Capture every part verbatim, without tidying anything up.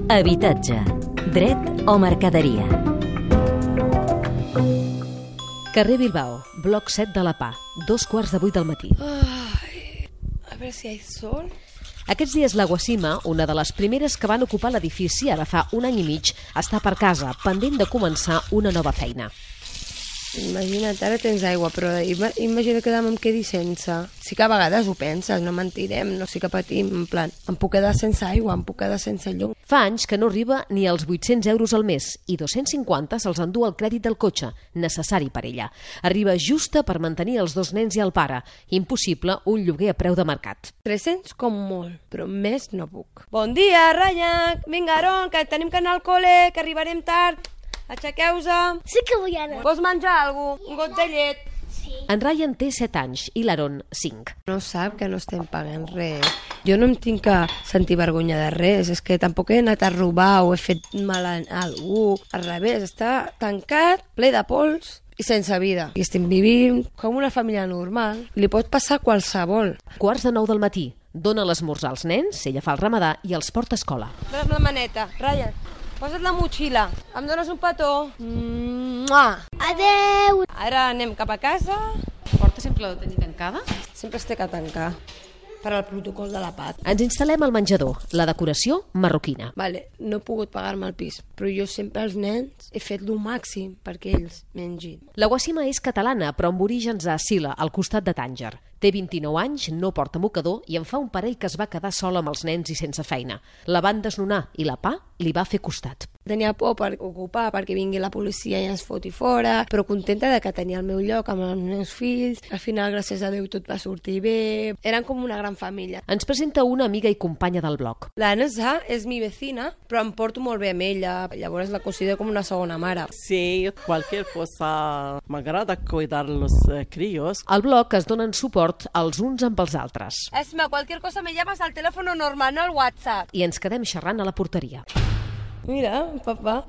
Habitatge, dret o mercaderia. Carrer Bilbao, bloc set de la P A, dos quarts de vuit del matí. Ay, a ver si hay sol. Aquests dies la Guacima, una de les primeres que van ocupar l'edifici ara fa un any i mig, està per casa, pendent de començar una nova feina. Imagina't, ara tens aigua, però imagina que demà em quedi sense. Sí que a vegades ho penses, no mentirem, no sí que patim, en plan, em puc quedar sense aigua, em puc quedar sense llum. Fa anys que no arriba ni als vuit-cents euros al mes i dos-cents cinquanta se'ls endú el crèdit del cotxe, necessari per ella. Arriba justa per mantenir els dos nens i el pare. Impossible un lloguer a preu de mercat. tres-cents com molt, però més no puc. Bon dia, Rayac! Vinga, Aron, que tenim que anar al col·le, que arribarem tard. Aixequeu-se. Sí que vull anar. Vols menjar alguna cosa? Un got de llet? Sí. En Ryan té set anys i l'Aaron cinc. No sap que no estem pagant res. Jo no em tinc que sentir vergonya de res. És que tampoc he anat a robar o he fet mal a algú. Al revés, està tancat, ple de pols i sense vida. I estem vivint com una família normal. Li pot passar qualsevol. Quarts de nou del matí. Dóna l'esmorzar als nens, ella fa el ramadà i els porta a escola. Dóna'm la maneta. Ryan, posa't la motxilla. Em dones un petó? Mua! Adeu. Ara anem cap a casa. Porta sempre la tenir tancada? Sempre es té que tancar per al protocol de la P A C. Ens instal·lem al menjador, la decoració marroquina. Vale, no he pogut pagar-me el pis, però jo sempre als nens he fet lo màxim perquè ells mengin. La Guacima és catalana, però amb orígens a Sila, al costat de Tànger. Té vint-i-nou anys, no porta mocador i en fa un parell que es va quedar sola amb els nens i sense feina. La van desnonar i la P A li va fer costat. Tenia por per ocupar, perquè vingui la policia i ens foti fora, però contenta de que tenia el meu lloc amb els meus fills. Al final, gràcies a Déu, tot va sortir bé. Eren com una gran família. Ens presenta una amiga i companya del blog. La Nessa és mi vecina, però em porto molt bé amb ella. Llavors la considero com una segona mare. Sí, cualquier cosa. M'agrada cuidar los eh, críos. Al blog es donen suport els uns amb els altres. Esma, cualquier cosa me llamas al teléfono normal, no al WhatsApp. I ens quedem xerrant a la porteria. Mira, papà.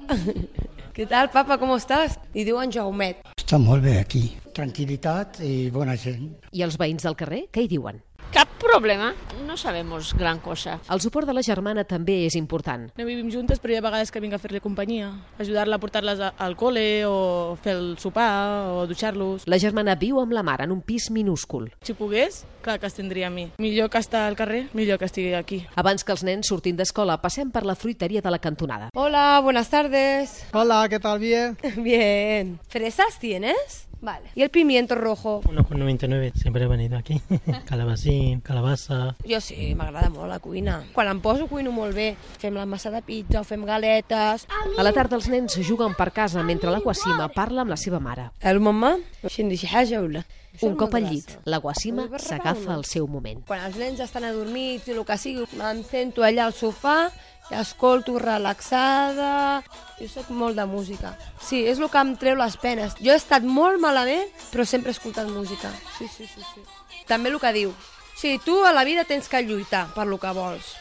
Què tal, papa, com estàs? Li diuen Jaumet. Està molt bé aquí. Tranquil·litat i bona gent. I els veïns del carrer, què hi diuen? Cap problema, no sabemos gran cosa. El suport de la germana també és important. No vivim juntes, però hi ha vegades que vinc a fer-li companyia, ajudar-la a portar-les al col·le o fer el sopar o dutxar-los. La germana viu amb la mare en un pis minúscul. Si pogués, clar que es tindria a mi. Millor que estar al carrer, millor que estigui aquí. Abans que els nens surtin d'escola, passem per la fruiteria de la cantonada. Hola, buenas tardes. Hola, ¿qué tal? ¿Bien? Bien. ¿Fresas tienes? Vale. ¿Y el pimiento rojo? uno con noventa y nueve, siempre he venido aquí. Calabacín, calabaza... Jo sí, m'agrada molt la cuina. Quan em poso cuino molt bé. Fem la massa de pizza o fem galetes. A la tarda els nens juguen per casa mentre la Guacima parla amb la seva mare. El mamà? Xindi xi haja o la? Un cop al llit, la Guacima s'agafa el seu moment. Quan els nens estan adormits i el que sigui, em sento allà al sofà i escolto relaxada. Jo soc molt de música. Sí, és el que em treu les penes. Jo he estat molt malament, però sempre he escoltat música. Sí, sí, sí, sí. També el que diu. Sí, tu a la vida tens que lluitar per lo que vols.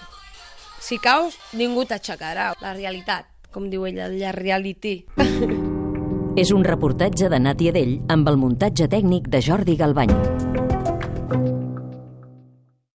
Si caus, ningú t'aixecarà. La realitat, com diu ella, la reality. És un reportatge de Nàtia Dell amb el muntatge tècnic de Jordi Galbany.